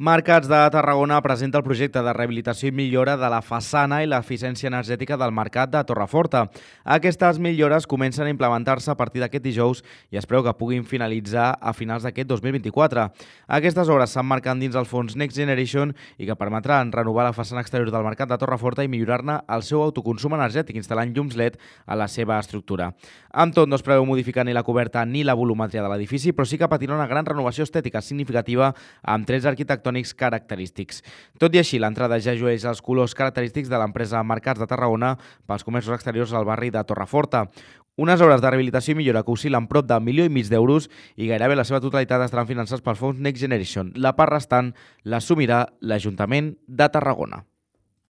Mercats de Tarragona presenta el projecte de rehabilitació i millora de la façana i l'eficiència energètica del Mercat de Torreforta. Aquestes millores comencen a implementar-se a partir d'aquest dijous i es preveu que puguin finalitzar a finals d'aquest 2024. Aquestes obres s'emmarquen dins el fons Next Generation i que permetran renovar la façana exterior del Mercat de Torreforta i millorar-ne el seu autoconsum energètic, instal·lant llums LED a la seva estructura. Amb tot, no es preveu modificar ni la coberta ni la volumetria de l'edifici, però sí que patirà una gran renovació estètica significativa amb trets arquitectònics característics. Tot i així, l'entrada ja llueix els colors característics de l'empresa Mercats de Tarragona pels comerços exteriors al barri de Torreforta. Unes obres de rehabilitació i millora que oscil·len prop de 1,5 milió d'euros i gairebé la seva totalitat estaran finançats pels fons Next Generation. La part restant l'assumirà l'Ajuntament de Tarragona.